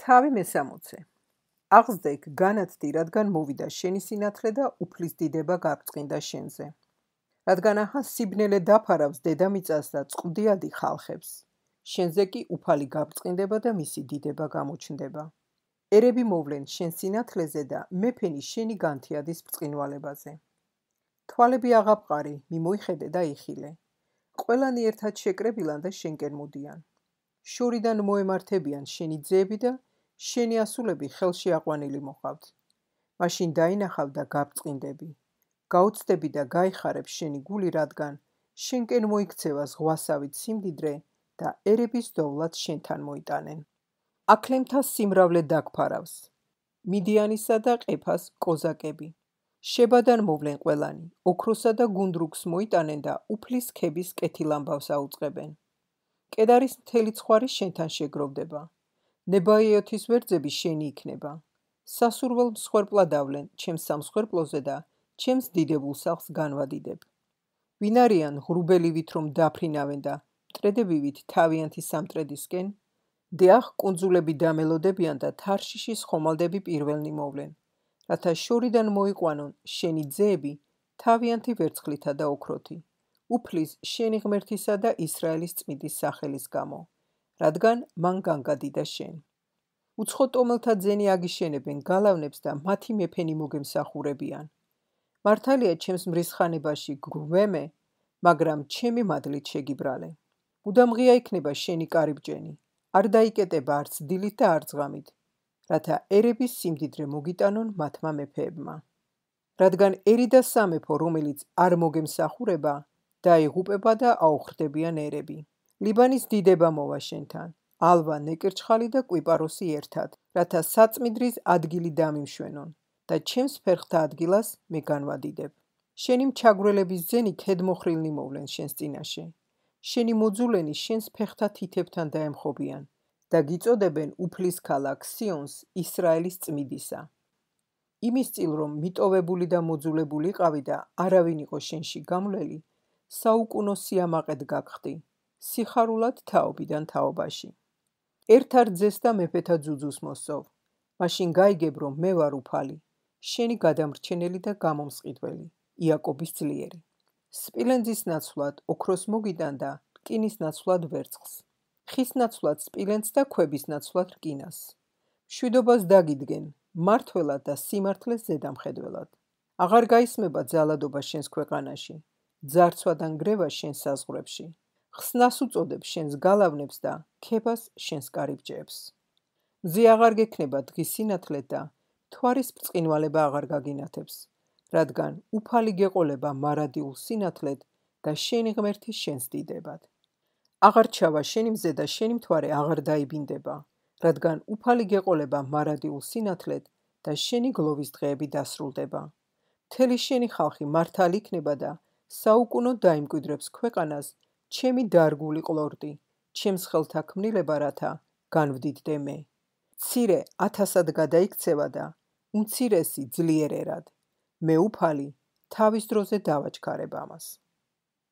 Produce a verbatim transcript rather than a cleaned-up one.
თავი მესამოცე. აღზრდექ განათდი, რადგან მოვიდა შენი სინათლე და უფლის დიდება გაბრწყინდა შენზე. რადგან ახლა სიბნელე დაფარავს დედამიწას და წყდიადი ხალხებს. შენზე კი უფალი გაბრწყინდება და მისი დიდება გამოჩნდება. ერები მოვლენ შენ სინათლეზე და მეფენი შენი განთიადის ბრწყინვალებაზე. თვალები აღაბყარი, მიმოიხედე და იხილე. ყველანი ერთად შეკრებილან და შენკენ მოდიან. შორიდან მოემართებიან შენი ძეები და შენი ასულები ხელში აყვანილი მოყავთ. მაშინ დაინახავ და გაბრწყინდები. გაუცდები და გაიხარებ შენი გული, რადგან შენკენ მოიქცევა ზღვასავით სიმდიდრე და ერების დოვლად შენთან მოიტანენ. აქლემთა სიმრავლე დაგფარავს. მიდიანისა და ყეფას კოზაკები. შებადან მოვლენ ყველანი, ოქროსა და გუნდრუგს მოიტანენ და უფლის ქების კეთილამბავს აუწყებენ. კედარის მთელი ცხვარი შენთან შეგროვდება. ნებაიოთის ვერძები შენი იქნება. სასურველ მსხვერპლად ავლენ ჩემს სამსხვერპლოზე და ჩემს დიდებულ სახლს განვადიდებ. ვინ არიან ღრუბელივით რომ დაფრინავენ და მტრედებივით თავიანთი სამტრედისკენ? დიახ, კუნძულები დამელოდებიან და თარშიშის ხომალდები პირველნი მოვლენ, რათა შორიდან მოიყვანონ შენი ძეები თავიანთი ვერცხლითა და ოქროთი, უფლის შენი ღმერთისა და ისრაელის წმინდის სახელის გამო, რადგან მან განგადიდა შენ. უცხო ტომელთა ძენი აგიშენებენ გალავნებს და მათი მეფენი მოგემსახურებიან. მართალია ჩემს მრისხანებაში გვემე, მაგრამ ჩემი მადლით შეგიბრალე. მუდამ ღია იქნება შენი კარიბჭენი, არ დაიკეტება არც დილით და არც ღამით, რათა ერების სიმდიდრე მოგიტანონ მათმა მეფეებმა. რადგან ერი და სამეფო, რომელიც არ მოგემსახურება, დაიღუპება და აუხრდებიან ერები. ლიბანის დიდება მოვა შენთან, ალვა, ნეკერჩხალი და კვიპაროსი ერთად, რათა საწმიდრის ადგილი დამიმშვენონ და ჩემს ფერხთა ადგილას მე განვადიდებ. შენი მჩაგვრელების ძენი ქედმოხრილნი მოვლენ შენს წინაშე. შენი მოძულენი შენს ფეხთა თითებთან დაემხობიან და გიწოდებენ უფლის ქალაქ სიონს ისრაელის წმიდისა. იმის წილ რომ მიტოვებული და მოძულებული იყავი და არავინ იყო შენში გამვლელი, საუკუნო სიამაყედ გაგხდი, სიხარულად თაობიდან თაობაში. ერთ-ერთ ძეს და მეფეთა ძუძუს მოსწოვ, მაშინ გაიგებ რომ მე ვარ უფალი, შენი გადამრჩენელი და გამომსყიდველი, იაკობის ძლიერი. სპილენძის ნაცვლად ოქროს მოგიტან და რკინის ნაცვლად ვერცხლს, ხის ნაცვლად სპილენძს და ქვების ნაცვლად რკინას. მშვიდობას დაგიდგენ, მართლად და სიმართლეს ზედამხედველად. აღარ გაისმება ძალადობა შენს ქვეყანაში, ძარცვა და ნგრევა შენს საზღვრებში. ხსნას უწოდებ შენს გალავნებს და ქებას შენს კარიბჭეებს. მზე აღარ გექნება დღის სინათლე და მთვარის ბრწყინვალება აღარ გაგინათებს, რადგან უფალი გეყოლება მარადიულ სინათლედ და შენი ღმერთი შენს დიდებად. აღარ ჩავა შენი მზე და შენი მთვარე აღარ დაიბინდება, რადგან უფალი გეყოლება მარადიულ სინათლედ და შენი გლოვის დღეები დასრულდება. მთელი შენი ხალხი მართალი იქნება და საუკუნოდ დაიმკვიდრებს ქვეყანას ჩემი დარგული ყლორტი, ჩემს ხელთა ქმნილება, რათა განვდიდდე მე. მცირე ათასად გადაიქცევა და უმცირესი ძლიერ ერად. მე უფალი თავის დროზე დავაჩქარებ ამას.